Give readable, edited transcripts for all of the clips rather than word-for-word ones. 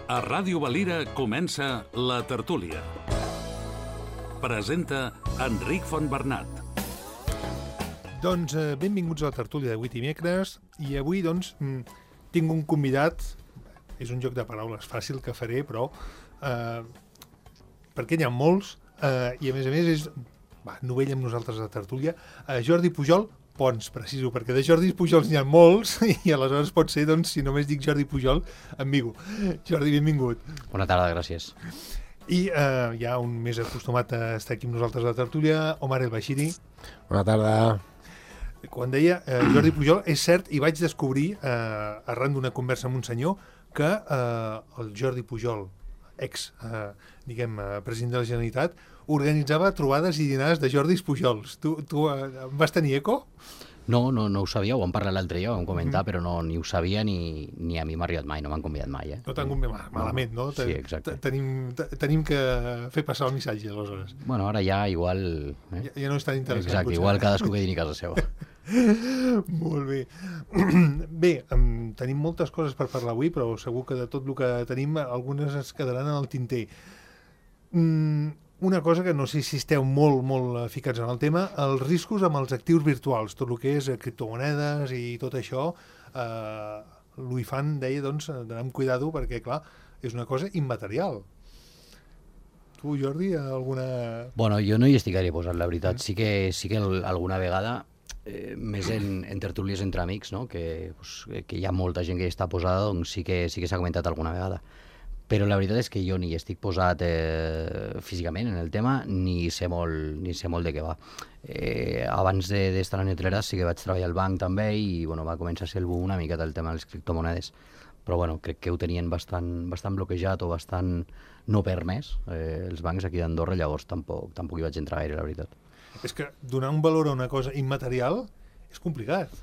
A Ràdio Valira comença La Tertúlia. Presenta Enric Fontbernat. Doncs benvinguts a La Tertúlia d'avui dimecres, i avui doncs tinc un convidat, és un joc de paraules fàcil que faré, però perquè n'hi ha molts, i a més és novell amb nosaltres a La Tertúlia, Jordi Pujol Pons, preciso, perquè de Jordi Pujols n'hi ha molts, i aleshores pot ser, doncs, si només dic Jordi Pujol, ambigu. Jordi, benvingut. Bona tarda, gràcies. I hi ha un més acostumat a estar aquí amb nosaltres a La Tertúlia, Omar El Bashiri. Bona tarda. Quan deia Jordi Pujol, és cert, i vaig descobrir, arran d'una conversa amb un senyor, que el Jordi Pujol, president de la Generalitat, organitzava trobades i dinars de Jordis Pujols. Tu vas tenir eco? No ho sabia, ho vam parlar l'altre dia, ho vam comentar, però ni ho sabia ni a mi m'ha arribat mai, no m'han convidat mai. No t'han convidat malament, no? Sí, exacte. Tenim que fer passar el missatge, aleshores. Bueno, ara ja igual... Ja no és tan interessant. Exacte, potser. igual cadascú que dini a casa seva. Molt bé. Bé, tenim moltes coses per parlar avui, però segur que de tot el que tenim, algunes es quedaran en el tinter. Una cosa que no sé si esteu molt ficats en el tema, els riscos amb els actius virtuals, tot el que és criptomonedes i tot això, l'UIFAN deia, doncs, d'anar amb cuidado perquè, clar, és una cosa immaterial. Tu, Jordi, alguna... Bueno, jo no hi estic gaire posat, la veritat. Sí que alguna vegada, més en tertúlies entre amics, no? que hi ha molta gent que hi està posada, doncs sí que s'ha comentat alguna vegada. Però la veritat és que jo ni estic posat físicament en el tema, ni sé molt de què va. Abans d'estar a la Netlera sí que vaig treballar al banc també i va començar a ser el boom una mica del tema de les criptomonedes. Però crec que ho tenien bastant bloquejat o bastant no permès els bancs aquí d'Andorra, llavors tampoc hi vaig entrar gaire, la veritat. És que donar un valor a una cosa immaterial és complicat.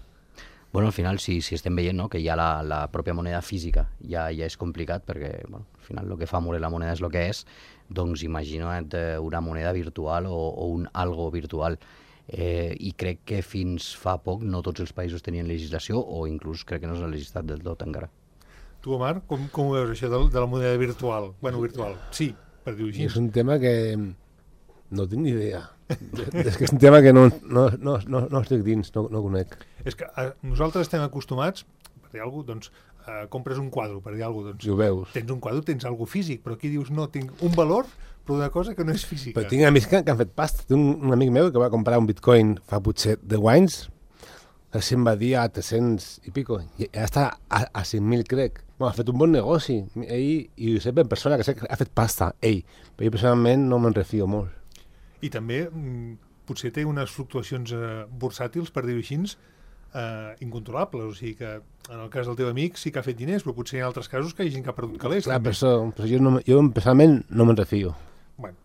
Bueno, al final, si estem veient, no, que ja la pròpia moneda física ja és complicat, perquè al final el que fa moure la moneda és el que és, doncs imagina't una moneda virtual o un algo virtual. I crec que fins fa poc no tots els països tenien legislació, o inclús crec que no s'ha legislat del tot encara. Tu, Omar, com ho veus això de la moneda virtual? Bueno, virtual, sí, per dir-ho així. És un tema que no tinc ni idea. És que és un tema que no estic dins, no conec. És que nosaltres estem acostumats, per dir alguna cosa, doncs, compres un quadre, per dir alguna cosa, doncs, I ho veus. Tens un quadre, tens alguna cosa físic, però aquí dius, no, tinc un valor, però una cosa que no és física. Però tinc amics que han fet pasta. Tinc un amic meu que va comprar un bitcoin fa potser 10 anys, se'n va dir a 300 i pico, i ja està a 5.000, crec. Ha fet un bon negoci. Ell, i ho sé per persona que sé que ha fet pasta, ell. Però jo personalment no me'n refio molt. I també potser té unes fluctuacions bursàtils, per dir-ho així, incontrolables. O sigui que en el cas del teu amic sí que ha fet diners, però potser hi ha altres casos que hi ha gent que ha perdut calés. Clar, però jo personalment no me'n refio. Bueno,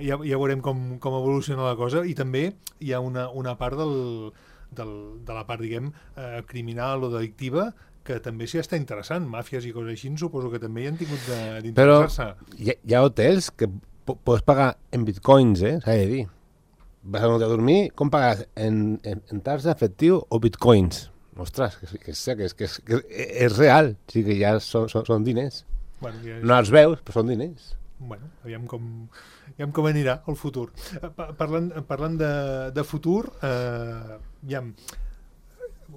ja veurem com evoluciona la cosa, i també hi ha una part de la part, diguem, criminal o delictiva, que també s'hi està interessant. Màfies i coses així, suposo que també hi han tingut d'interessar-se. Però hi ha hotels que pots pagar en bitcoins, s'ha de dir. Vas a un hotel a dormir, com pagaràs? En tarja, efectiu o bitcoins? Ostres, que és real. O sigui que ja són diners. Bueno, no els veus, però són diners. Bueno, aviam com anirà el futur. Parlant de futur,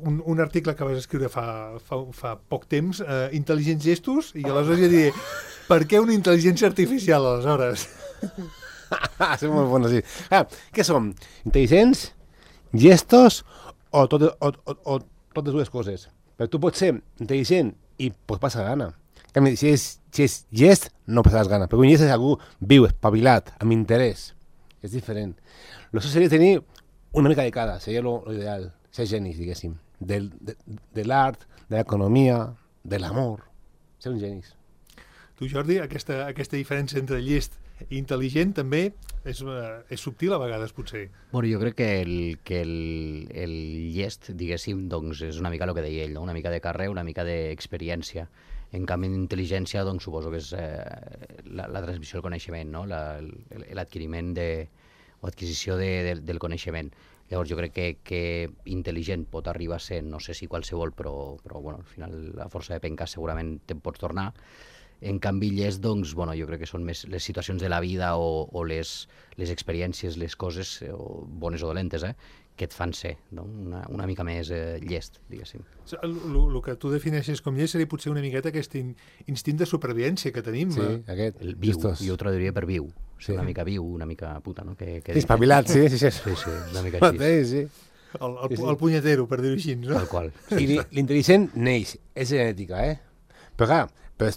un article que vas escriure fa poc temps, intel·ligents gestos, i aleshores ja diré, per què una intel·ligència artificial, aleshores? És molt bon, sí. Què som? Intel·ligents, gestos o totes dues coses? Perquè tu pots ser intel·ligent i pots passar gana. Si és gest, no passaràs gana. Perquè un gest és algú viu, espavilat, amb interès. És diferent. Això seria tenir una mica de cada, seria l'ideal. Ser genis, diguéssim. De l'art, de l'economia, de l'amor. Ser un genis. Tu, Jordi, aquesta diferència entre llest i intel·ligent també és subtil a vegades, potser. Bueno, jo crec que el llest, diguéssim, doncs és una mica el que deia ell, no? Una mica de carrer, una mica d'experiència. En canvi, d'intel·ligència, doncs suposo que és la transmissió del coneixement, no? L'adquiriment o adquisició del coneixement. Llavors jo crec que intel·ligent pot arribar a ser, no sé si qualsevol, però bueno, al final a força de pencar segurament te'n pots tornar. En canvi, llest, doncs, bueno, jo crec que són més les situacions de la vida o les experiències, les coses, bones o dolentes, que et fan ser, no? una mica més llest, diguéssim. El que tu defineixes com llest seria potser una miqueta aquest instint de supervivència que tenim. Sí, aquest. El viu, jo ho traduiria per viu. Sí. Una mica viu, una mica puta, no? Sí, espavilat, sí. Sí, una mica així. Sí. El punyetero, per dir-ho així, no? Tal qual. I l'intel·ligent neix, és genètica, Però clar,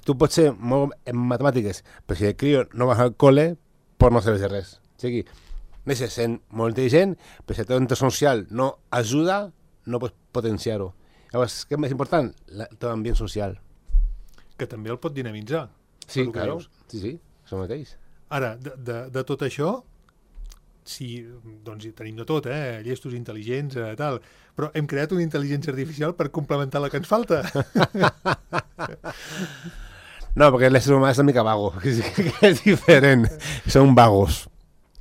tu pots ser molt en matemàtiques, però si el crio no vas al col·le, pues no serveix de res. O sigui, neixes sent molt intel·ligent, però si el teu entorn social no ajuda, no pots potenciar-ho. Llavors, què és més important? El teu ambient social. Que també el pot dinamitzar. Sí, claro. Sí, això mateix. Ara, de tot això, sí, doncs hi tenim de tot, llestos, intel·ligents, tal, però hem creat una intel·ligència artificial per complementar la que ens falta. No, perquè l'ésser humà és una mica vago, que és diferent. Són vagos.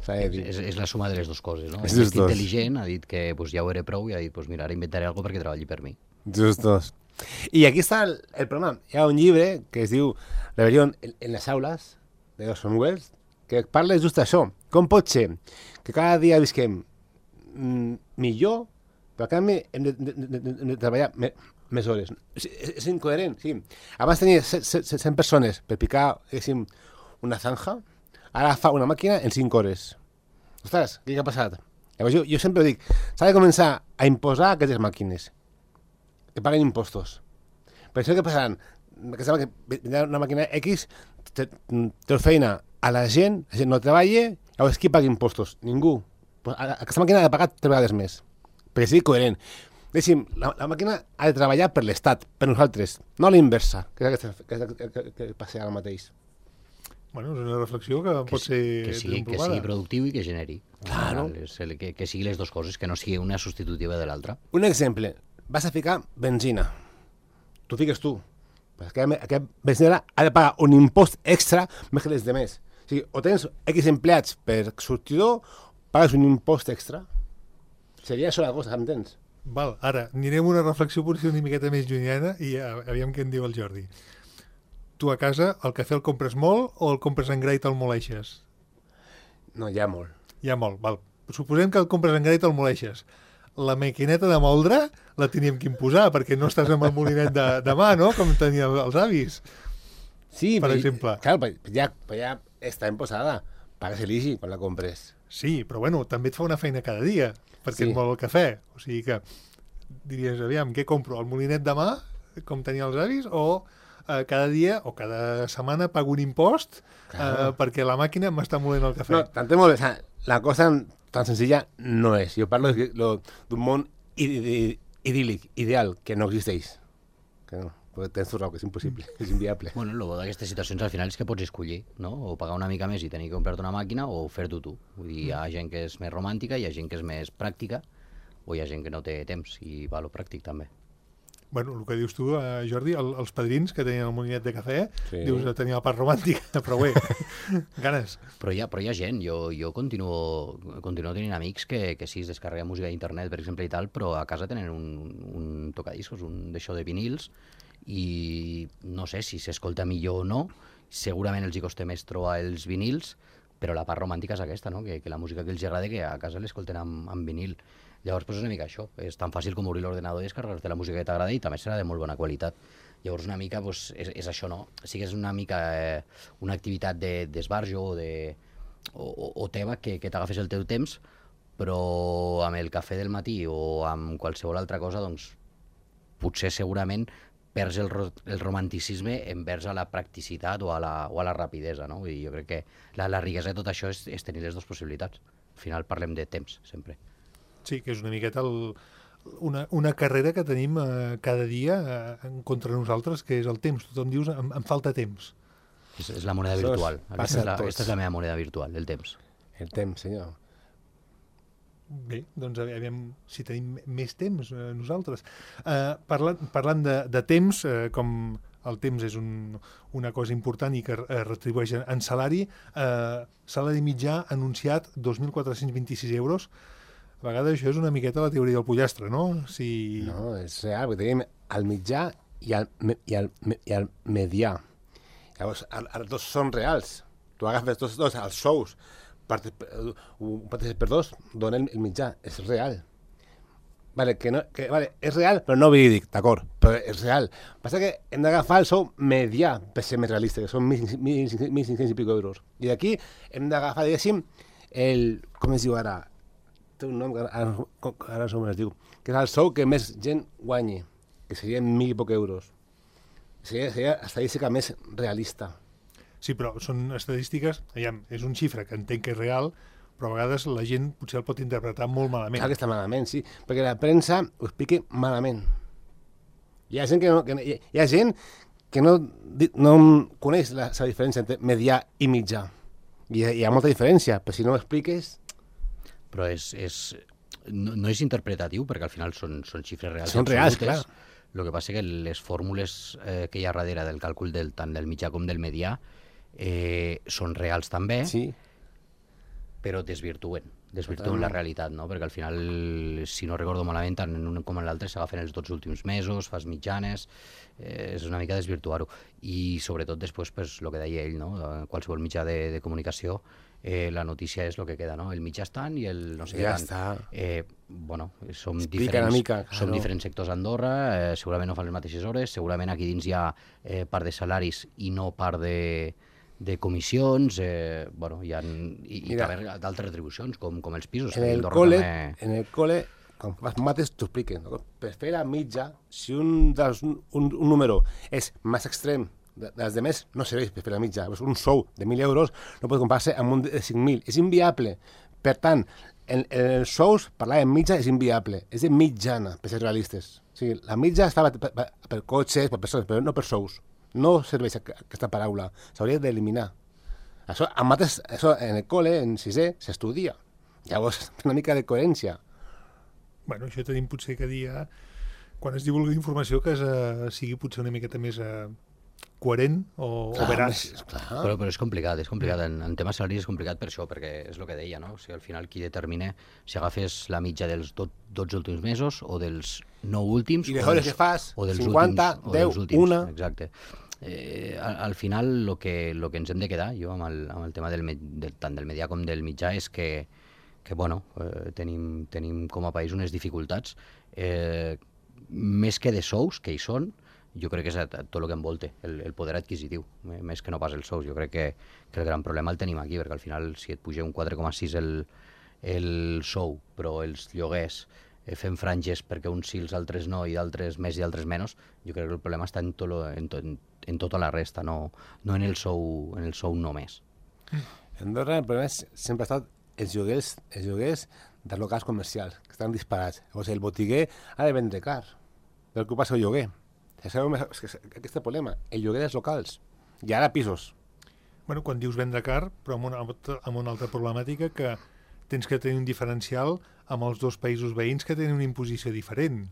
És la suma de les dues coses, no? És Aquest intel·ligent ha dit que pues, ja ho era prou i ha dit, pues, mira, ara inventaré alguna cosa perquè treballi per mi. Justos. I aquí està el problema. Hi ha un llibre que es diu Rebelión en les aules, de Orson Welles, que parla just d'això. Com pot ser que cada dia visquem millor, però a canvi hem de treballar més hores? És incoherent, sí. Abans tenia 100 persones per picar, diguéssim, una zanja, ara fa una màquina en 5 hores. Ostres, què ha passat? Llavors jo sempre dic, s'ha de començar a imposar aquestes màquines, que paguen impostos. Per això què passaran? Que vindrà una màquina X, treu feina a la gent no treballa, llavors qui paga impostos? Ningú. Aquesta màquina ha de pagar 3 vegades més, perquè sigui coherent. Deixi'm, la màquina ha de treballar per l'Estat, per nosaltres, no a la inversa, que és el que passa ara mateix. Bueno, és una reflexió que pot ser que sigui productiu i que generi. Claro. Que sigui les dues coses, que no sigui una substitutiva de l'altra. Un exemple, vas a ficar benzina. Tu fiques tu. Aquest benzinera ha de pagar un impost extra més que les demés. O sigui, o tens X empleats per sortidor, pagues un impost extra. Seria això la cosa, m'entens? Val, ara, anirem a una reflexió potser una miqueta més llunyana i aviam què en diu el Jordi. Tu a casa el cafè el compres molt o el compres en gra i te'l moleixes? No, ja molt. Ja molt, val. Suposem que el compres en gra i te'l moleixes. La maquineta de moldre la teníem que imposar perquè no estàs amb el molinet de mà, no? Com tenien els avis. Sí, per exemple. Clar, ja està imposada. Pagues l'IGI quan la compres. Sí, però bueno, també et fa una feina cada dia perquè et mol el cafè. O sigui que diries, aviam, què compro? El molinet de mà, com tenien els avis, o cada dia o cada setmana pago un impost perquè la màquina m'està molent el cafè. No, t'entenc molt bé. La cosa tan senzilla no és. Jo parlo d'un món idíl·lic, ideal, que no existeix. Que no, tens tu raó, que és impossible, és inviable. Bueno, el bo d'aquestes situacions al final és que pots escollir, no? O pagar una mica més i tenir que comprar-te una màquina o fer-t'ho tu. Vull dir, hi ha gent que és més romàntica, hi ha gent que és més pràctica, o hi ha gent que no té temps i va a lo pràctic també. Bueno, el que dius tu, Jordi, els padrins que tenien el molinet de cafè, dius que tenia la part romàntica, però bé, ganes. Però hi ha gent, jo continuo tenint amics que sí, es descarreguen música d'internet, per exemple, i tal, però a casa tenen un tocadiscos, un d'això de vinils, i no sé si s'escolta millor o no, segurament els hi costa més trobar els vinils, però la part romàntica és aquesta, no? Que la música que els agrada que a casa l'escolten amb vinil. Llavors, és una mica això. És tan fàcil com obrir l'ordenador i descarregar-te la música que t'agrada i també serà de molt bona qualitat. Llavors, una mica és això, no? Sí que és una mica una activitat d'esbarjo o teva que t'agafes el teu temps, però amb el cafè del matí o amb qualsevol altra cosa, doncs, potser segurament perds el romanticisme envers a la practicitat o a la rapidesa, no? I jo crec que la riquesa de tot això és tenir les dues possibilitats. Al final parlem de temps, sempre. Sí, que és una miqueta una carrera que tenim cada dia contra nosaltres, que és el temps. Tothom dius, em falta temps. És la moneda virtual. Aquesta és la meva moneda virtual, el temps. El temps, senyor. Bé, doncs aviam si tenim més temps nosaltres. Parlant de temps, com el temps és una cosa important i que retribueix en salari, salari mitjà anunciat 2.426 euros. A vegades això és una miqueta la teoria del pollastre, no? No, és real, perquè tenim el mitjà i el medià. Llavors, els dos són reals. Tu agafes tots dos, els sous, un parteixes per dos, donen el mitjà. És real. Vale, vale, és real, però no verídic, d'acord, però és real. Passa que hem d'agafar el sou medià per ser més realista, que són 1.500 i pico euros. I d'aquí hem d'agafar, diguéssim, com es diu ara? Té un nom que ara no sé com es diu, que és el sou que més gent guanyi, que serien 1.000 i poc euros. Seria estadística més realista. Sí, però són estadístiques, és un xifre que entenc que és real, però a vegades la gent potser el pot interpretar molt malament. Clar que està malament, sí, perquè la premsa ho explica malament. Hi ha gent que no coneix la diferència entre medià i mitjà. Hi ha molta diferència, però si no ho expliques... Però no és interpretatiu, perquè al final són xifres reals. Són reals, clar. El que passa que les fórmules que hi ha darrere del càlcul tant del mitjà com del medià són reals també, sí, però desvirtuen la realitat, no? Perquè al final, si no recordo malament, tant en un com en l'altre s'agafen els 12 últims mesos, fas mitjanes, és una mica desvirtuar-ho. I sobretot després, pues, el que deia ell, no? Qualsevol mitjà de comunicació, la notícia és el que queda, no? El mitjà és tant i el no sé què tant. Bueno, som diferents sectors a Andorra, segurament no fan les mateixes hores, segurament aquí dins hi ha part de salaris i no part de comissions, bueno, hi ha també d'altres retribucions, com els pisos. En el col·le, quan fas mates, t'ho expliquen. No? Per fer la mitja, si un número és més extrem dels demés, no serveix per fer la mitja. Un sou de 1.000 euros no pot comparar-se amb un de 5.000. És inviable. Per tant, en els sous, parlar de mitja és inviable. És de mitjana, per ser realistes. O sigui, la mitja es fa per cotxes, per persones, però no per sous. No serveix aquesta paraula, s'hauria d'eliminar. Això, en el col·le, en sisè, s'estudia. Llavors, una mica de coherència. Bueno, això tenim potser que dir, quan es divulga informació, que sigui potser una miqueta més coherent o veraç. Però és complicat. En temes salaris és complicat per això, perquè és el que deia, no? O sigui, al final qui determina si agafes la mitja dels 12 últims mesos o dels 9 últims... I de hores que fas, o dels 50, últims, 10, una... Exacte. Al final, el que ens hem de quedar, jo, amb el tema tant del medià com del mitjà, és que bueno, tenim com a país unes dificultats, més que de sous, que hi són, jo crec que és tot el que envolta, el poder adquisitiu, més que no pas els sous. Jo crec que el gran problema el tenim aquí, perquè al final, si et puja un 4,6 el sou, però els lloguers fem franges perquè uns sí, els altres no, i d'altres més i d'altres menys, jo crec que el problema està en tota la resta, no en el sou només. En Andorra el problema sempre ha estat els lloguers dels locals comercials, que estan disparats. Llavors, el botiguer ha de vendre car, per ocupar-se el lloguer. És aquest problema, el lloguer dels locals. I ara pisos. Bueno, quan dius vendre car, però amb una altra problemàtica, que tens que tenir un diferencial amb els dos països veïns que tenen una imposició diferent.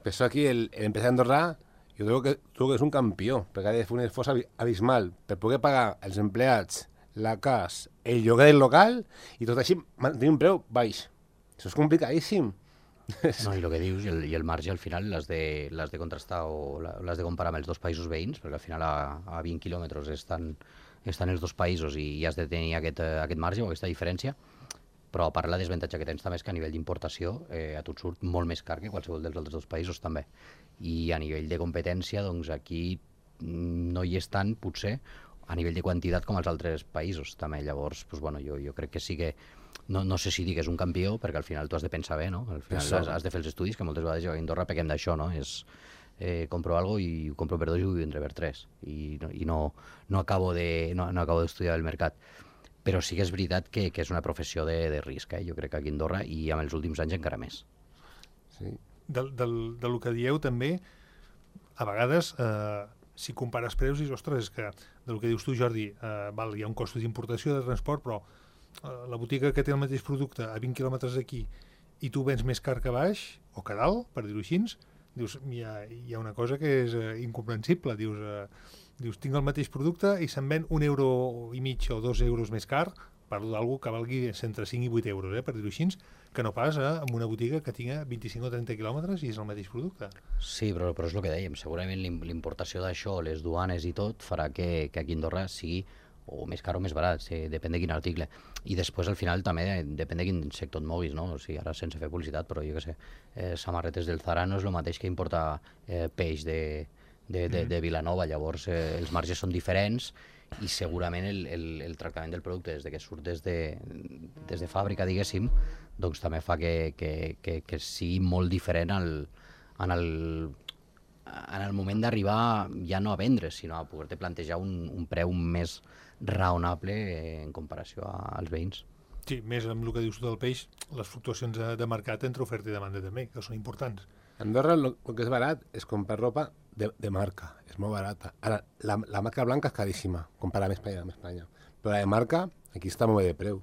Per això aquí l'empresari andorrà, jo trobo que és un campió, perquè ha de fer un esforç abismal per poder pagar els empleats, la casa, el lloguer del local, i tot així mantenir un preu baix. Això és complicadíssim. No, i el que dius, i el marge al final l'has de contrastar o l'has de comparar amb els dos països veïns, perquè al final a 20 quilòmetres estan els dos països i has de tenir aquest marge o aquesta diferència, però a part la desavantatge que tens també és que a nivell d'importació a tu et surt molt més car que qualsevol dels altres dos països també. I a nivell de competència, doncs aquí no hi és tant, potser, a nivell de quantitat com als altres països també. Llavors, doncs, bueno, jo crec que sí que no sé si dir que és un campió, perquè al final tu has de pensar bé, no? Al final has de fer els estudis, que moltes vegades jo a Andorra pequem d'això, no? És compro algo i ho compro per 2 i ho vendré per 3. I no acabo d'estudiar el mercat. Però sí que és veritat que és una professió de risc, jo crec que aquí a Andorra, i amb els últims anys encara més. Sí. Del que dieu també, a vegades, si compares preus, dius, ostres, és que del que dius tu, Jordi, hi ha un cost d'importació, de transport, però la botiga que té el mateix producte a 20 quilòmetres d'aquí i tu vens més car que baix, o que dalt, per dir-ho així, dius, hi ha una cosa que és incomprensible. Dius, tinc el mateix producte i se'n ven 1,5 € o 2 euros més car, parlo d'algú que valgui entre 5 i 8 euros, per dir-ho així, que no pas en una botiga que tinga 25 o 30 quilòmetres i és el mateix producte. Sí, però és el que dèiem, segurament l'importació d'això, les duanes i tot, farà que aquí a Andorra sigui o més car o més barat, depèn de quin article. I després, al final, també depèn de quin sector et moguis, no? O sigui, ara sense fer publicitat, però jo què sé, samarretes del Zara no és el mateix que importar peix de Vilanova, llavors els marges són diferents i segurament el tractament del producte des que surt des de fàbrica, diguéssim, doncs també fa que sigui molt diferent en el moment d'arribar ja no a vendre, sinó a poder-te plantejar un preu més raonable en comparació als veïns. Sí, més amb el que dius tu del peix, les fluctuacions de mercat entre oferta i demanda també, que són importants. A Andorra el que és barat és comprar ropa de marca, és molt barata. Ara, la marca blanca és caríssima, comparada amb Espanya. Però la de marca, aquí està molt bé de preu.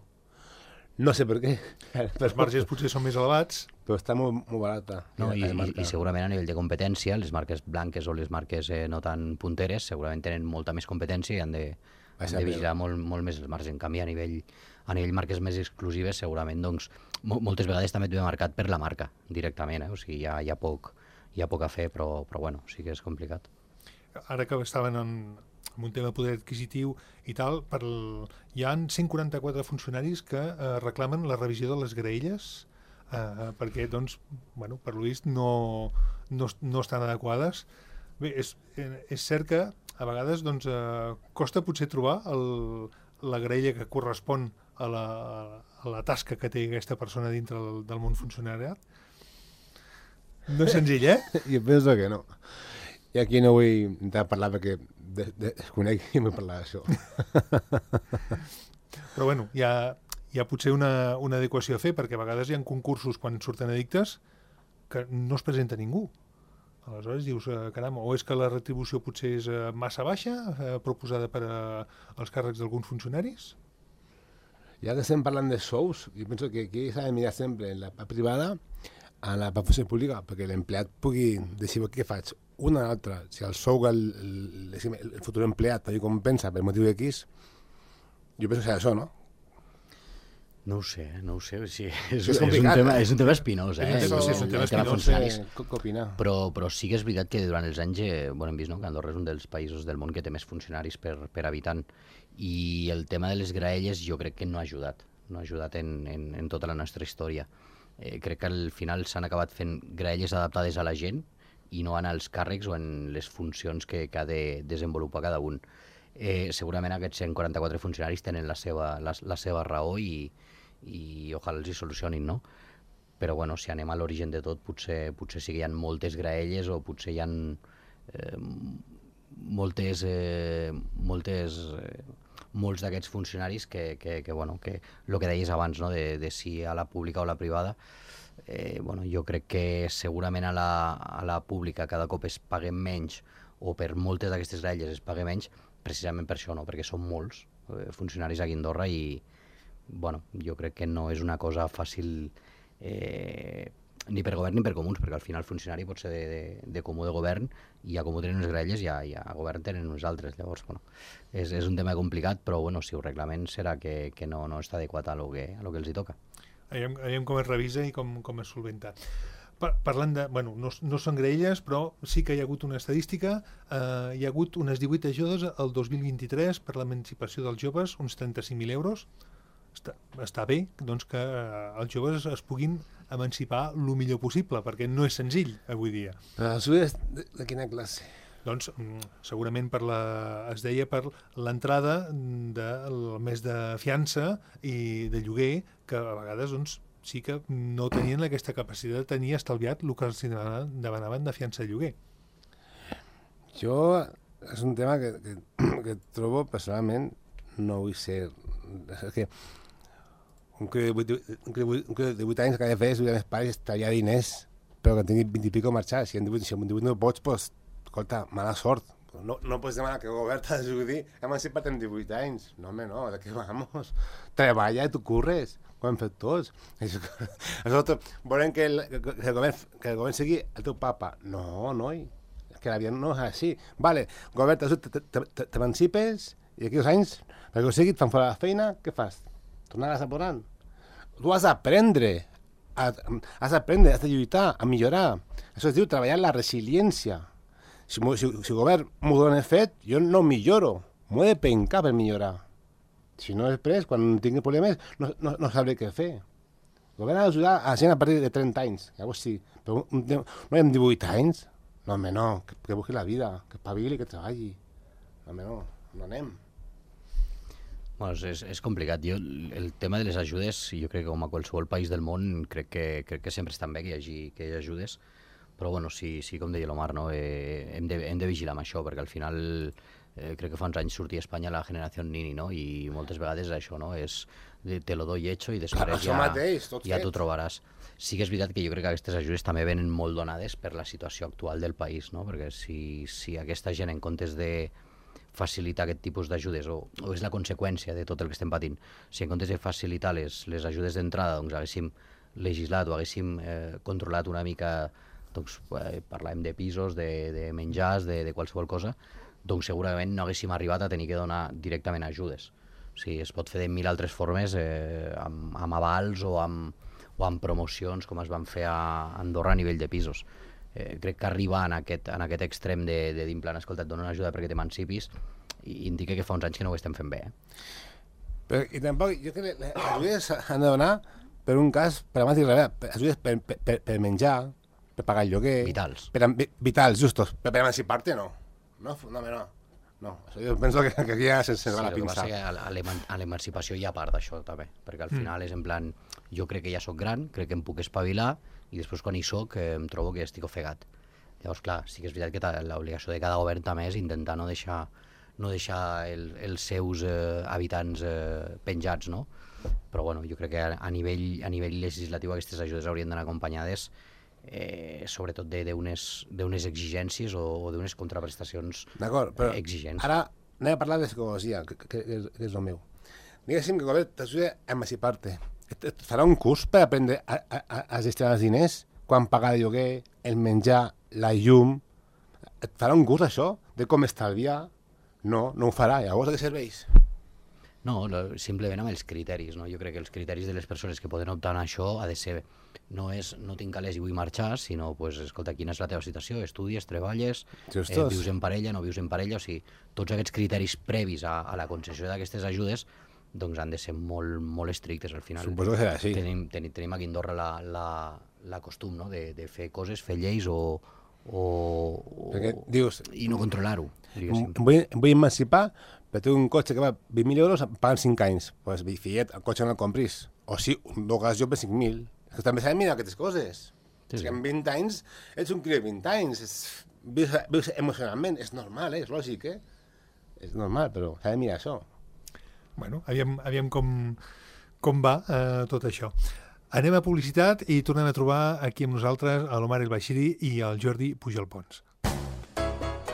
No sé per què. Els marges potser són més elevats. Però està molt barata. No, i segurament a nivell de competència, les marques blanques o les marques no tan punteres segurament tenen molta més competència i han de vigilar molt més el marge. En canvi, a nivell marques més exclusives, segurament, doncs, moltes vegades també et ve marcat per la marca, directament, O sigui, hi ha poc a fer, però bueno, sí que és complicat. Ara que estaven en un tema de poder adquisitiu i tal, hi ha 144 funcionaris que reclamen la revisió de les graelles perquè, doncs, bueno, per lo vist no estan adequades. Bé, és cert que a vegades doncs, costa potser trobar la graella que correspon a la tasca que té aquesta persona dintre del món funcionariat. No és senzill, Jo penso que no. I aquí no vull intentar parlar perquè desconec i vull parlar d'això. Però bueno, hi ha potser una adequació a fer, perquè a vegades hi ha concursos quan surten edictes que no es presenta ningú. Aleshores dius, caram, o és que la retribució potser és massa baixa, proposada per als càrrecs d'alguns funcionaris? Ja que estem parlant de sous, jo penso que aquí s'ha de mirar sempre en la part privada a la funció pública, perquè l'empleat pugui decidir què faig, una o l'altra. Si el sou que el futur empleat li compensa per motiu X, jo penso que és això, no? No ho sé. Sí, és un tema espinós, És un tema funcionaris. Però sí que és veritat que durant els anys hem vist que Andorra és un dels països del món que té més funcionaris per habitant, i el tema de les graelles jo crec que no ha ajudat en tota la nostra història. Crec que al final s'han acabat fent graelles adaptades a la gent i no en els càrrecs o en les funcions que ha de desenvolupar cada un. Segurament aquests 144 funcionaris tenen la seva raó i ojalà els hi solucionin, no? Però bueno, si anem a l'origen de tot, potser sí que hi ha moltes graelles o potser hi ha molts d'aquests funcionaris que el que deies abans, no? de si a la pública o a la privada, jo crec que segurament a la pública cada cop es paga menys, o per moltes d'aquestes graelles es paga menys, precisament per això, no? Perquè són molts funcionaris aquí a Andorra i jo crec que no és una cosa fàcil ni per govern ni per comuns, perquè al final el funcionari pot ser de comú de govern i a comú tenen unes graelles i a govern tenen uns altres. Llavors, és un tema complicat, però si ho reglamen serà que no està adequat a lo que els hi toca. Aviam com es revisa i com es solventa. Parlant de... no són graelles, però sí que hi ha hagut una estadística. Hi ha hagut unes 18 ajudes el 2023 per l'emancipació dels joves, uns 35.000 euros. Està bé doncs, que els joves es puguin emancipar el millor possible, perquè no és senzill avui dia. Però les ajudes de quina classe? Doncs segurament es deia per l'entrada del mes de fiança i de lloguer, que a vegades sí que no tenien aquesta capacitat de tenir estalviat el que els demanaven de fiança de lloguer. Jo és un tema que trobo personalment no vull ser... És que un que de 8 anys que ha de fer és els meus pares estalviar diners, però que tingui 20 i pico marxar. Si en 18 no pots, doncs, escolta, mala sort. No pots demanar que el govern t'ajudi a emancipar en 18 anys. No, home, no, de què vamos? Treballa i tu curres, ho hem fet tots. Nosaltres volem que el govern sigui el teu papa. No, noi, que la vida no és així. Vale, govern, t'emancipes i aquí 2 anys, perquè ho sigui, et fan fora la feina, què fas? tornar a posant. Tu has d'aprendre, has de lluitar, a millorar. Això es diu treballar la resiliència. Si el govern m'ho dona fet, jo no milloro. M'ho he de pencar per millorar. Si no, després, quan tingui problemes, no sabré què fer. El govern ha d'ajudar a la gent a partir de 30 anys. Llavors sí, però no hem 18 anys. No, home, no, que busqui la vida, que espavili, que treballi. No, home, no anem. Bueno, és complicat. El tema de les ajudes, jo crec que com a qualsevol país del món, crec que sempre estan bé que hi hagi ajudes, però bueno, sí, com deia l'Omar, no? Hem de vigilar amb això, perquè al final crec que fa uns anys sortia a Espanya la generació Nini, no? I moltes vegades això, no? És te lo doy hecho i després ja t'ho trobaràs. Sí que és veritat que jo crec que aquestes ajudes també venen molt donades per la situació actual del país, no? Perquè si aquesta gent, en comptes de facilitar aquest tipus d'ajudes, o és la conseqüència de tot el que estem patint, si en comptes de facilitar les ajudes d'entrada doncs haguéssim legislat o haguéssim controlat una mica, doncs parlàvem de pisos, de menjars, de qualsevol cosa, doncs segurament no haguéssim arribat a tenir que donar directament ajudes. O sigui, es pot fer de mil altres formes, amb avals o amb promocions, com es van fer a Andorra a nivell de pisos. Crec que arribar en aquest extrem de dir, en plan, escolta, et dono una ajuda perquè t'emancipis, i indica que fa uns anys que no ho estem fent bé. Però, i tampoc, jo crec que les ajudes han de donar per un cas, per ajudes per menjar, per pagar el lloguer... Vitals. Vitals, justos. Per emancipar-te, no. No. Jo penso que aquí ja se'ns va la pinça. Sí, el que passa que a l'emancipació hi ha part d'això, també, perquè al final és en plan, jo crec que ja sóc gran, crec que em puc espavilar, i després quan hi soc em trobo que estic ofegat. Llavors, clar, sí que és veritat que l'obligació de cada govern també és intentar no deixar els seus habitants penjats, no? Però bueno, jo crec que a nivell legislatiu aquestes ajudes haurien d'anar acompanyades sobretot d'unes exigències o d'unes contraprestacions exigents. Ara anem a parlar de psicologia, que és el meu. Diguéssim que el govern t'ajuda a emancipar-te. Et farà un curs per aprendre a gestionar els diners, quan pagar el lloguer, el menjar, la llum. Et farà un curs, això, de com estalviar? No ho farà. Llavors, a què serveix? No, simplement amb els criteris, no? Jo crec que els criteris de les persones que poden optar a això ha de ser, no tinc calés i vull marxar, sinó, pues, escolta, quina és la teva situació, estudies, treballes, vius en parella, no vius en parella, o sigui, tots aquests criteris previs a la concessió d'aquestes ajudes doncs han de ser molt, molt estrictes al final. Suposo que serà així. Tenim aquí a Andorra la costum, no?, de fer coses, fer lleis i no controlar-ho. Em vull emancipar, però tinc un cotxe que va 20.000 euros pagant 5 anys. Doncs, fillet, el cotxe no el compris. O sí, un gas jo per 5.000. És que també s'ha de mirar aquestes coses. És que en 20 anys ets un criat de 20 anys. Vius emocionalment, és normal, és lògic, És normal, però s'ha de mirar això. Bueno, aviam com va tot això. Anem a publicitat i tornem a trobar aquí amb nosaltres a l'Omar El Bashiri i el Jordi Pujol Pons.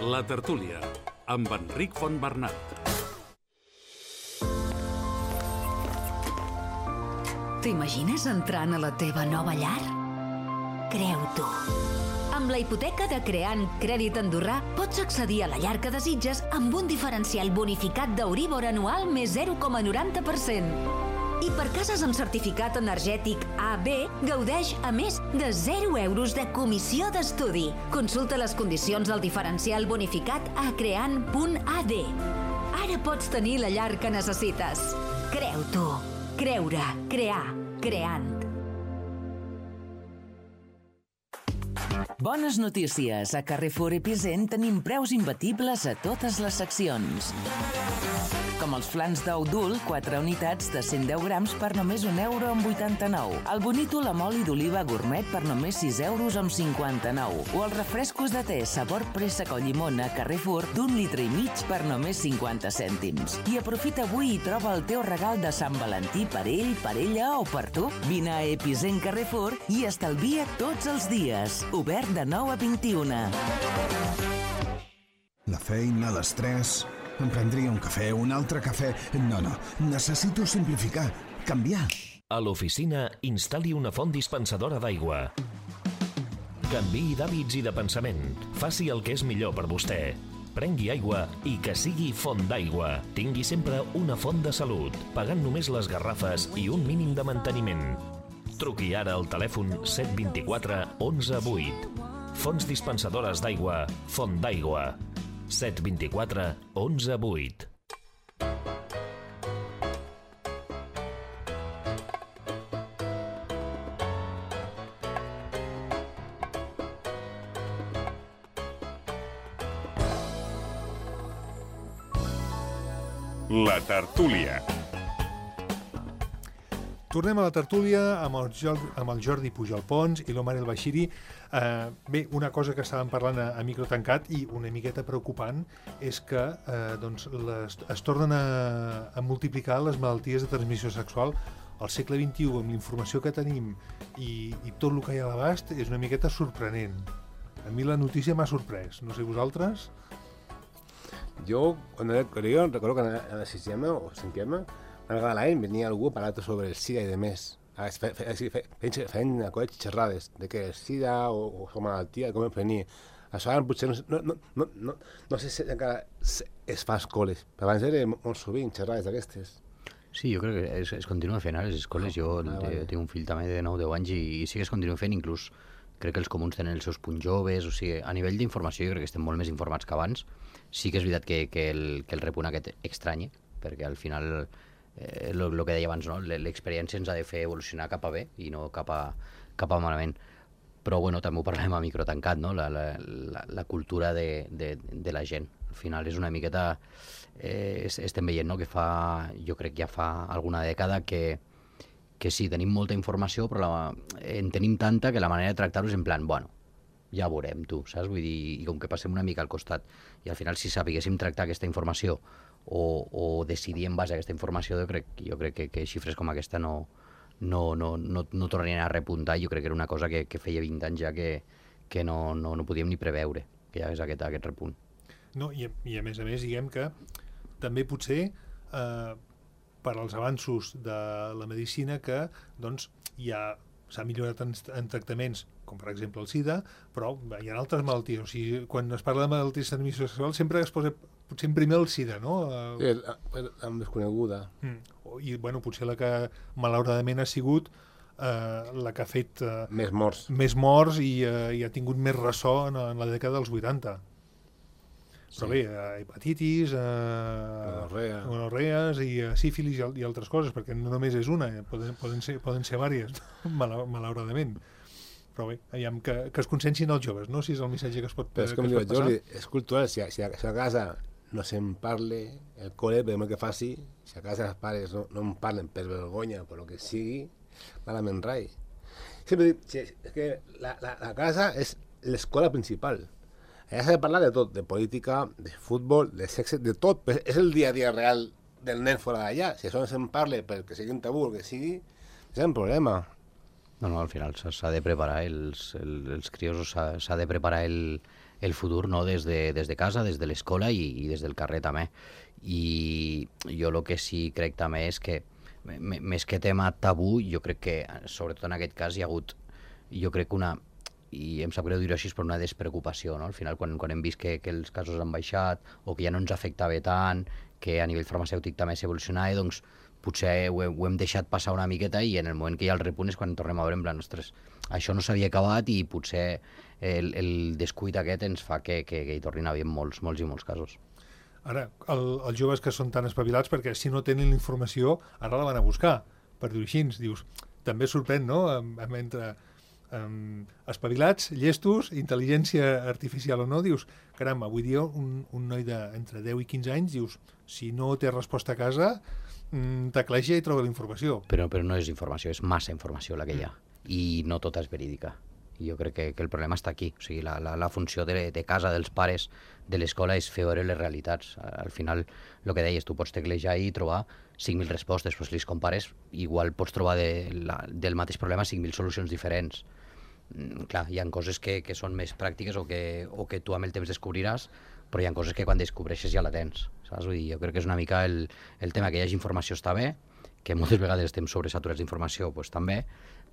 La tertúlia, amb Enric Fontbernat. T'imagines entrant a la teva nova llar? Creu-t'ho. Amb la hipoteca de Creant Crèdit Andorrà pots accedir a la llar que desitges amb un diferencial bonificat d'Euríbor anual més 0,90%. I per cases amb certificat energètic AB, gaudeix a més de 0 euros de comissió d'estudi. Consulta les condicions del diferencial bonificat a creant.ad. Ara pots tenir la llar que necessites. Creu-t'ho. Creure, crear, creant. Bones notícies. A Carrefour Epicent tenim preus imbatibles a totes les seccions. Com els flans d'ou dul, 4 unitats de 110 grams per només €1,89. El bonítol amb oli d'oliva gourmet per només €6,59. O els refrescos de te sabor préssec o llimón a Carrefour d'1,5 litres per només 50 cèntims. I aprofita avui i troba el teu regal de Sant Valentí per ell, per ella o per tu. Vine a Epicent Carrefour i estalvia tots els dies. Obert de 9 a 21. La feina, l'estrès... Em prendria un cafè, un altre cafè... No, necessito simplificar, canviar. A l'oficina, instal·li una font dispensadora d'aigua. Canviï d'hàbits i de pensament. Faci el que és millor per vostè. Prengui aigua i que sigui font d'aigua. Tingui sempre una font de salut, pagant només les garrafes i un mínim de manteniment. Truqui ara al telèfon 724 11 8. Fonts dispensadores d'aigua, Font d'aigua. 724 11 8. La tertúlia. Tornem a la tertúlia amb el Jordi Pujol Pons i l'Omar El Bashiri. Bé, una cosa que estàvem parlant a micro tancat i una miqueta preocupant és que es tornen a multiplicar les malalties de transmissió sexual al segle XXI, amb la informació que tenim i tot el que hi ha a l'abast, és una miqueta sorprenent. A mi la notícia m'ha sorprès. No sé vosaltres... Yo, cuando era colegio, recuerdo que en la sisena o cinquena, una vegada a l'any venia algú a parlar sobre el SIDA i de més. Feien coses xerrades de que el SIDA o la malaltia, com es prenia. Això ara potser no sé si encara es fa a escoles, però abans era molt sovint xerrades d'aquestes. Sí, jo crec que es continua fent a les escoles. Jo tinc un fill també de 9-10 anys i sí que es continua fent, inclús crec que els comuns tenen els seus punts joves, o sigui, a nivell d'informació jo crec que estem molt més informats que abans. Sí que és veritat que el repunt aquest estranya, perquè al final, el que deia abans, no? L'experiència ens ha de fer evolucionar cap a bé i no cap a malament. Però bueno, també ho parlem a micro tancat, no? La cultura de la gent. Al final és una miqueta... estem veient, no? Que jo crec que ja fa alguna dècada que sí, tenim molta informació, però en tenim tanta que la manera de tractar-ho és en plan, bueno, ja veurem, tu, saps? Vull dir, i com que passem una mica al costat. I al final, si sabíssim tractar aquesta informació o decidir en base a aquesta informació, jo crec que xifres com aquesta no tornarien a repuntar. Jo crec que era una cosa que feia 20 anys ja que no podíem ni preveure, que hi hagués aquest repunt. No, i a més, diguem que també potser per als avanços de la medicina que ja s'ha millorat en tractaments, com per exemple el SIDA, però hi ha altres malalties. O sigui, quan es parla de malalties de transmissió sexual sempre es posa potser en primer el SIDA, no? Sí, la desconeguda. I, bueno, potser la que malauradament ha sigut la que ha fet més morts i ha tingut més ressò en la dècada dels 80. Però bé, hepatitis, gonorrees i sífilis i altres coses, perquè no només és una, poden ser diverses, malauradament. Però bé, aviam que es consciencien els joves, no? Si és el missatge que es pot passar. Però és com diu Jordi, és cultural, si a casa no se'n parle, el col·le, per el que faci, si a casa els pares no en parlen per vergonya, per el que sigui, malament rai. Sempre dic, és que la casa és l'escola principal. Allà s'ha de parlar de tot, de política, de futbol, de sexe, de tot. Però és el dia a dia real del nen fora d'allà. Si això no se'n parla perquè sigui un tabú o el que sigui, és un problema. No, al final s'ha de preparar, els crios s'ha de preparar el futur, no? Des de casa, des de l'escola i des del carrer també. I jo el que sí crec també és que, més que tema tabú, jo crec que, sobretot en aquest cas, hi ha hagut, jo crec que i em sap greu dir-ho així, per una despreocupació, no? Al final, quan hem vist que els casos han baixat o que ja no ens afectava tant, que a nivell farmacèutic també s'evolucionava, doncs potser ho hem deixat passar una miqueta i en el moment que hi ha el repunt és quan tornem a veure en plan, ostres, això no s'havia acabat i potser el descuit aquest ens fa que hi tornin a haver molts i molts casos. Ara, els joves que són tan espavilats, perquè si no tenen la informació, ara la van a buscar, per dir-ho així. Dius, també sorprèn, no?, entre espavilats, llestos, intel·ligència artificial o no, dius, caram, avui dia un noi d'entre 10 i 15 anys, dius, si no té resposta a casa, tecleja i troba la informació. Però no és informació, és massa informació la que hi ha, i no tota és verídica. I jo crec que el problema està aquí. O sigui, la funció de casa, dels pares, de l'escola, és fer veure les realitats. Al final, el que deies, tu pots teclejar i trobar 5.000 respostes, però si les compares, igual pots trobar del mateix problema 5.000 solucions diferents. Clar, hi ha coses que són més pràctiques o que tu amb el temps descobriràs, però hi ha coses que quan descobreixes ja la tens, saps? Vull dir, jo crec que és una mica el tema que hi hagi informació està bé, que moltes vegades estem sobresaturats d'informació, doncs també,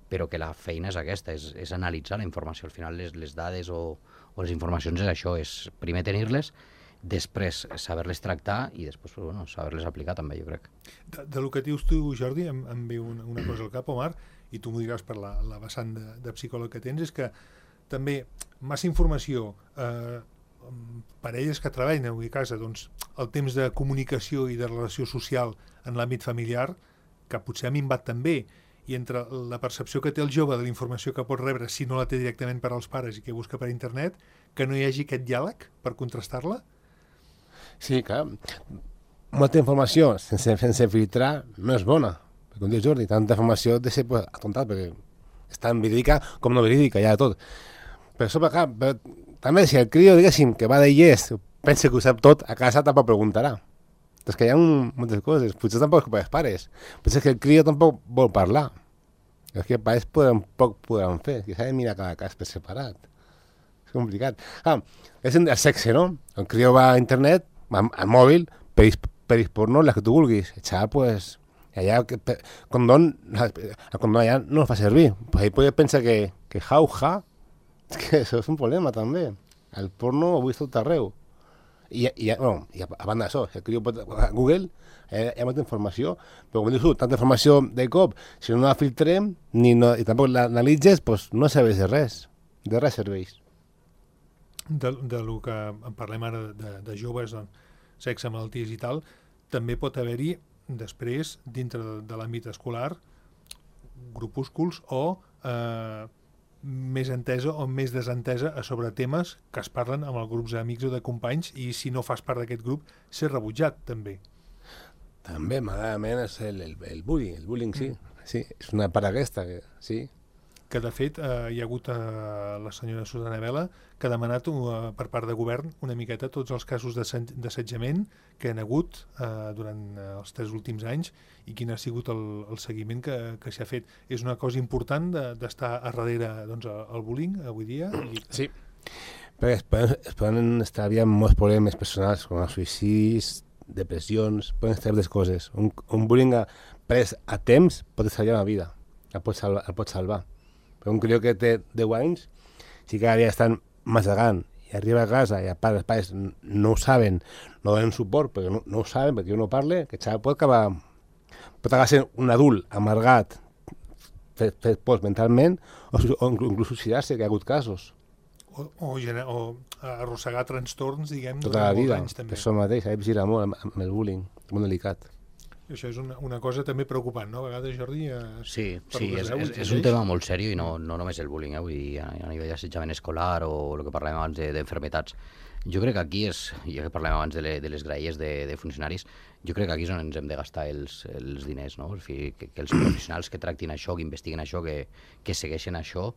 però que la feina és aquesta, és analitzar la informació. Al final les dades o les informacions és això, és primer tenir-les després saber-les tractar i després saber-les aplicar també, jo crec. De lo que dius tu, Jordi, em ve una cosa al cap, Omar, i tu m'ho diràs per la vessant de psicòleg que tens, és que també massa informació, parelles que treballen avui a casa, doncs el temps de comunicació i de relació social en l'àmbit familiar, que potser ha minvat també, i entre la percepció que té el jove de la informació que pot rebre si no la té directament per als pares i que busca per internet, que no hi hagi aquest diàleg per contrastar-la? Sí, clar. Molta informació sense filtrar no és bona. Com diu Jordi, tanta informació de ser atontat, perquè és tan verídica com no verídica, ja de tot. Però sobre, clar, també si el crio, diguéssim, que va de llest, pensa que ho sap tot, a casa tampoc preguntarà. És que hi ha moltes coses. Potser tampoc és culpa dels pares. Potser que el crio tampoc vol parlar. És que els pares poc podran fer. Que s'ha de mirar cada cas per separat. És complicat. És el sexe, no? El crio va a internet, al mòbil, per porno, les que tu vulguis. El xaval, pues, allà, el condón allà no el fa servir. Pues ahí puede pensar que jauja, és que això és un problema també. El porno ho he vist tot arreu. I a banda d'això, el criu pot a Google, hi ha molta informació, però com dius tu, tanta informació de cop, si no la filtrem i tampoc l'analitzes, doncs no serveix de res serveix. De lo que en parlem ara de joves, sexe, malalties i tal, també pot haver-hi després, dintre de l'àmbit escolar, grupúsculs o més entesa o més desentesa sobre temes que es parlen amb els grups d'amics o de companys, i si no fas part d'aquest grup, ser rebutjat, també. També, malament, és el bullying, sí. Sí, és una part aquesta, sí. Que, de fet, hi ha hagut la senyora Susana Vela, que ha demanat per part de govern una miqueta tots els casos d'assetjament que han hagut durant els 3 últims anys i quin ha sigut el seguiment que s'ha fet. És una cosa important d'estar a darrere el bullying avui dia? Sí, perquè es poden estalviar molts problemes personals com els suïcidis, depressions, poden estalviar les coses. Un bullying pres a temps pot estalviar la vida, el pot salvar. Però un crió que té 10 anys, si cada dia estan massegant i arriba a casa i els pares no ho saben, no donen suport perquè no ho saben, perquè no parle, que el xaval pot acabar sent un adult amargat, fet pols mentalment, o inclús suïcidar-se, que hi ha hagut casos. O arrossegar trastorns, diguem, tota la vida, anys, també. Per això mateix, s'ha de vigilar molt amb el bullying, molt delicat. Això és una cosa també preocupant, no? A vegades, Jordi... Sí, és un tema molt seriós i no només el bullying, vull dir, a nivell d'assetjament escolar o el que parlem abans d'enfermetats. Jo crec que aquí ja que parlem abans de les graelles de funcionaris, jo crec que aquí és on ens hem de gastar els diners, no? Que els professionals que tractin això, que investiguen això, que segueixen això,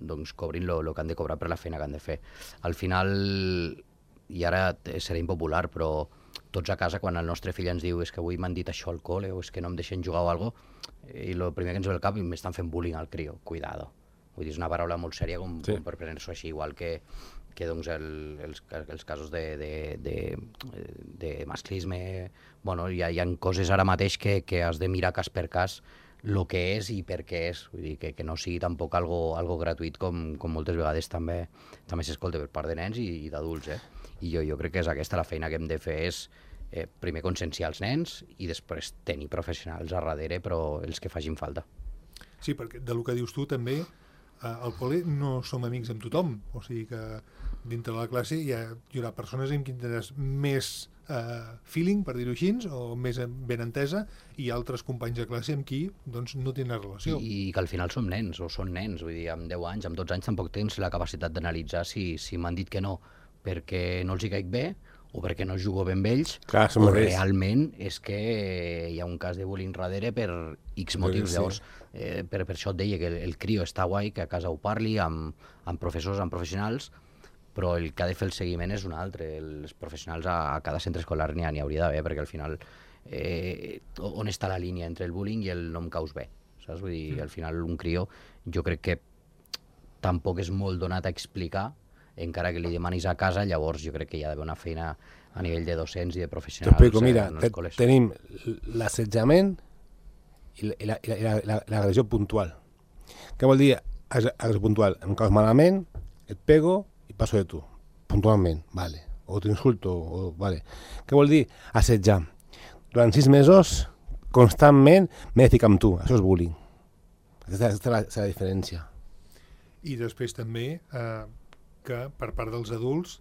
doncs cobrin el que han de cobrar per la feina que han de fer. Al final, i ara serà impopular, però tots a casa, quan el nostre fill ens diu és que avui m'han dit això al col·le o és que no em deixen jugar o alguna cosa, i el primer que ens ve al cap m'estan fent bullying al crio, cuidado. Vull dir, és una paraula molt sèria com per prendre-s'ho així, igual que doncs els casos de masclisme. Bueno, hi ha coses ara mateix que has de mirar cas per cas el que és i per què és. Vull dir, que no sigui tampoc algo gratuït com moltes vegades també s'escolta per part de nens i d'adults. I jo crec que és aquesta la feina que hem de fer, és primer conscienciar els nens i després tenir professionals a darrere, però els que facin falta. Sí, perquè del que dius tu també, al col·le no som amics amb tothom, o sigui que dintre de la classe hi haurà persones amb qui tindràs més feeling, per dir-ho així, o més ben entesa, i altres companys de classe amb qui doncs, no tenen relació. I que al final som nens, o són nens, vull dir, amb 10 anys, amb 12 anys tampoc tens la capacitat d'analitzar si m'han dit que no perquè no els hi caic bé, o perquè no jugo ben amb ells, o realment és que hi ha un cas de bullying darrere per X motius. Sí. Llavors, per això et deia que el crio està guai, que a casa ho parli amb professors, amb professionals, però el que ha de fer el seguiment és un altre. Els professionals a cada centre escolar n'hi hauria d'haver, perquè al final on està la línia entre el bullying i el no em caus bé? Saps? Vull dir, al final un crio jo crec que tampoc és molt donat a explicar, encara que li demanis a casa, llavors jo crec que hi ha d'haver una feina a nivell de docents i de professionals. T'explico, mira, tenim l'assetjament i l'agressió puntual. Què vol dir agressió puntual? Em caus malament, et pego i passo de tu, puntualment, vale. o t'insulto, vale. Què vol dir assetjar? Durant 6 mesos, constantment m'he de ficar amb tu. Això és bullying. Aquesta és la diferència. I després també que per part dels adults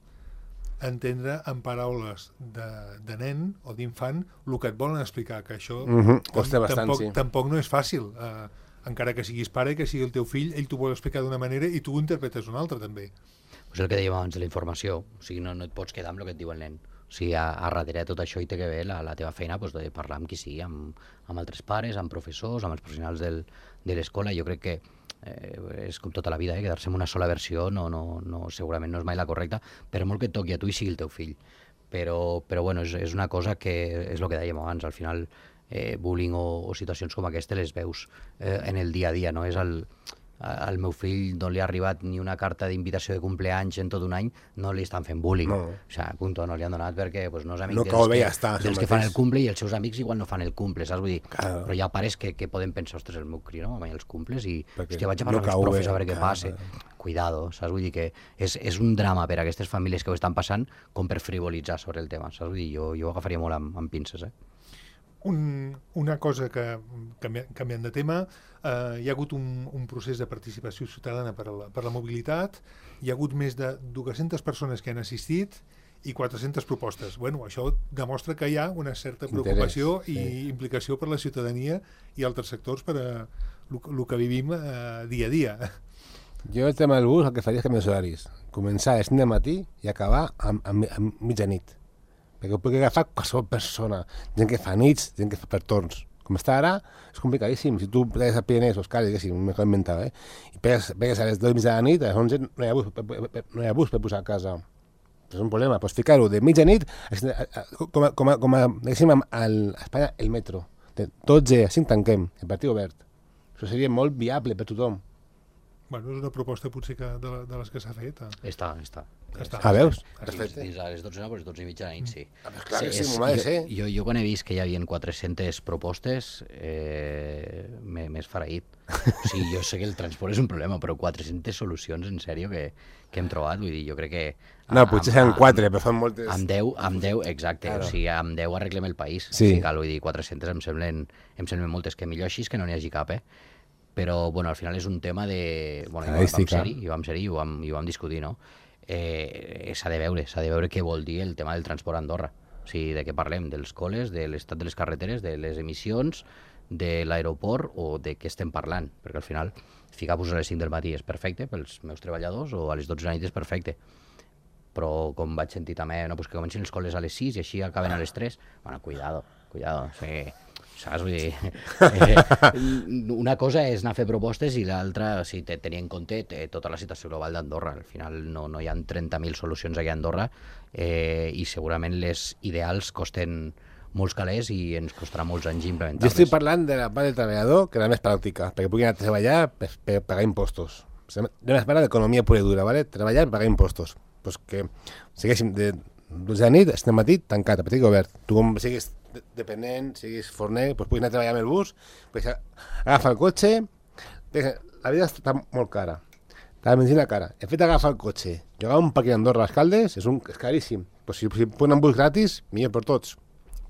entendre en paraules de nen o d'infant el que et volen explicar, que això costa bastant, sí. Tampoc no és fàcil. Encara que siguis pare, que sigui el teu fill, ell t'ho vol explicar d'una manera i tu ho interpretes d'una altra, també. És el que dèiem abans de la informació. O sigui, no et pots quedar amb el que et diu el nen. O sigui, a darrere de tot això hi té que ver la teva feina doncs, de parlar amb qui sigui, amb altres pares, amb professors, amb els professionals de l'escola. Jo crec que és com tota la vida, quedar-se en una sola versió segurament no és mai la correcta, però molt que et toqui a tu i sigui el teu fill. Però bueno, és una cosa que és el que dèiem abans, al final bullying o situacions com aquestes les veus en el dia a dia, no és al meu fill no li ha arribat ni una carta d'invitació de compleanys en tot un any, no li estan fent bullying. No. O sigui, punto, no li han donat perquè pues, no és amic dels que fan el cumple i els seus amics igual no fan el cumple, saps? Vull dir, claro. Però hi ha pares que poden pensar, ostres, el meu crio no mai els cumples i hòstia, vaig a no parlar amb els profes a veure què claro. passa. Cuidado, saps? Vull dir que és un drama per a aquestes famílies que ho estan passant com per frivolitzar sobre el tema, saps? Vull dir, jo ho agafaria molt amb pinces, Una cosa que canviant de tema, hi ha hagut un procés de participació ciutadana per la mobilitat, hi ha hagut més de 200 persones que han assistit i 400 propostes. Bueno, això demostra que hi ha una certa preocupació i implicació per la ciutadania i altres sectors per a el que vivim dia a dia. Jo el tema del bus el que faria és canviar els horaris. Començar a 5 del matí i acabar a mitjanit. Perquè ho pugui agafar qualsevol persona, gent que fa nits, gent que fa per torns. Com està ara, és complicadíssim. Si tu pegues a Pirinès o Escali, diguéssim, m'he inventat, i pegues a les 12 de la nit, a les 11 no hi ha bus per posar a casa. És un problema. Pots ficar-ho de mitjanit, com a diguéssim, a Espanya, el metro. De 12 a 5 tanquem, el partit obert. Això seria molt viable per tothom. Bueno, és una proposta potser de les que s'ha fet. Està. Veus? Perfecte. A les 12 no, però a les 12 i mitja de la nit, sí. Clar que sí, m'ho ha de ser. Jo quan he vist que hi havia 400 propostes, m'he esfereït. O sigui, jo sé que el transport és un problema, però 400 solucions, en sèrio, que hem trobat. Vull dir, jo crec que... No, potser seran 4, però fan moltes... Amb 10, exacte. Claro. O sigui, amb 10 arreglem el país. Sí. O sigui, vull dir, 400 em semblen moltes, que millor així que no n'hi hagi cap, Però, bueno, al final és un tema de... Bueno, vam ser-hi i ho vam discutir, no? S'ha de veure què vol dir el tema del transport a Andorra. O sigui, de què parlem? Dels col·les, de l'estat de les carreteres, de les emissions, de l'aeroport o de què estem parlant? Perquè al final, ficar-vos a les 5 del matí és perfecte pels meus treballadors o a les 12 de la nit és perfecte. Però, com vaig sentir també, no, pues que comencin les col·les a les 6 i així acaben a les 3. Bueno, cuidado. O sigui, saps? Vull dir, una cosa és anar a fer propostes i l'altra, o sigui, tenir en compte tota la situació global d'Andorra. Al final no hi ha 30.000 solucions aquí a Andorra i segurament les ideals costen molts calés i ens costarà molts anys implementar-les. Jo estic parlant de la part del treballador, que és la més pràctica, perquè pugui anar a treballar per pagar impostos. Jo més parla d'economia pura i dura, ¿vale? Treballar per pagar impostos. Pues que segueixin de 12 de la nit, estem matí, tancat, a petit obert. Tu com siguis dependent, siguis forner, pues puguis anar a treballar amb el bus, pues agafa el cotxe, la vida està molt cara, la benzina cara. El fet d'agafar el cotxe, jugar un parc a Andorra a les Caldes és caríssim. Pues si ponen un bus gratis, millor per tots.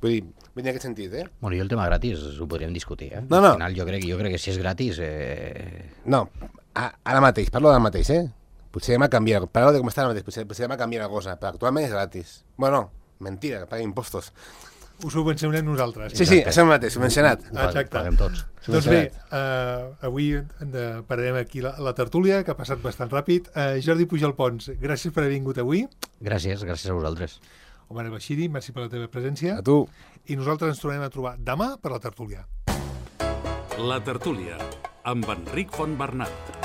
Vull dir, en aquest sentit, Bueno, jo el tema gratis ho podríem discutir, No. Al final jo crec que si és gratis... No, ara mateix, parlo del mateix, Potser demà canviar, parlo de com està ara mateix, potser demà canviar la cosa, però actualment és gratis. Bueno, mentira, que pagui impostos. Us ho subvencionem nosaltres. Sí, és el mateix, subvencionat. Exacte. Paguem tots. Doncs bé, avui pararem aquí la tertúlia, que ha passat bastant ràpid. Jordi Pujol Pons, gràcies per haver vingut avui. Gràcies a vosaltres. Omar El Bashiri, merci per la teva presència. A tu. I nosaltres ens tornem a trobar demà per la tertúlia. La tertúlia, amb Enric Fontbernat.